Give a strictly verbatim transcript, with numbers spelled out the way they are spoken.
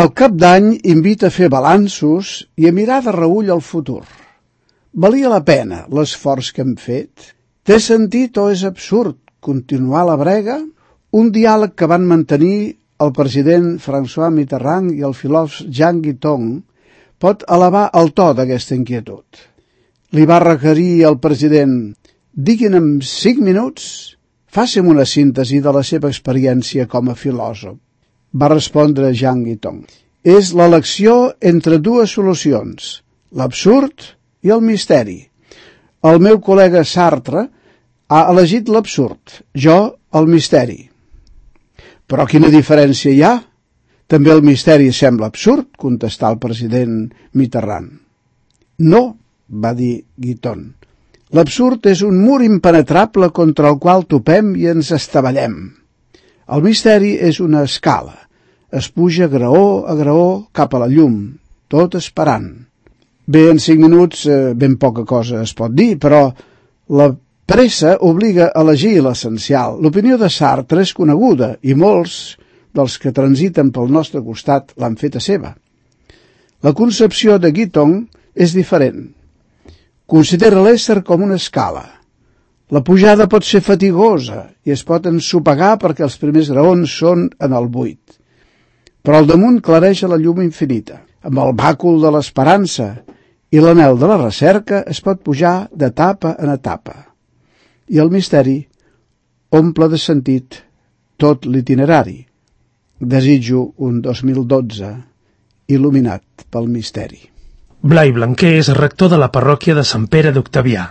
El cap d'any invita a fer balanços i a mirar de reüll el futur. Valia la pena l'esforç que hem fet? Té sentit o és absurd continuar la brega? Un diàleg que van mantenir el president François Mitterrand i el filòsof Jean Guitton pot elevar el to d'aquesta inquietud. Li va requerir el president: diguin en cinc minuts, faci'm una síntesi de la seva experiència com a filòsof. Va respondre Jean Guitton: és l'elecció entre dues solucions, l'absurd i el misteri. El meu col·lega Sartre ha elegit l'absurd, jo el misteri. Però quina diferència hi ha? També el misteri sembla absurd, contestà el president Mitterrand. No, va dir Guitton. L'absurd és un mur impenetrable contra el qual topem i ens estavellem. El misteri és una escala. Es puja graó a graó cap a la llum, tot esperant. Bé, en cinc minuts eh, ben poca cosa es pot dir, però la pressa obliga a elegir l'essencial. L'opinió de Sartre és coneguda i molts dels que transiten pel nostre costat l'han feta seva. La concepció de Guitton és diferent. Considera l'ésser com una escala. La pujada pot ser fatigosa i es pot ensopegar perquè els primers graons són en el buit. Però al damunt clareja la llum infinita. Amb el bàcul de l'esperança i l'anhel de la recerca es pot pujar d'etapa en etapa. I el misteri omple de sentit tot l'itinerari. Desitjo un dos mil dotze il·luminat pel misteri. Blai Blanquer és rector de la parròquia de Sant Pere d'Octavià.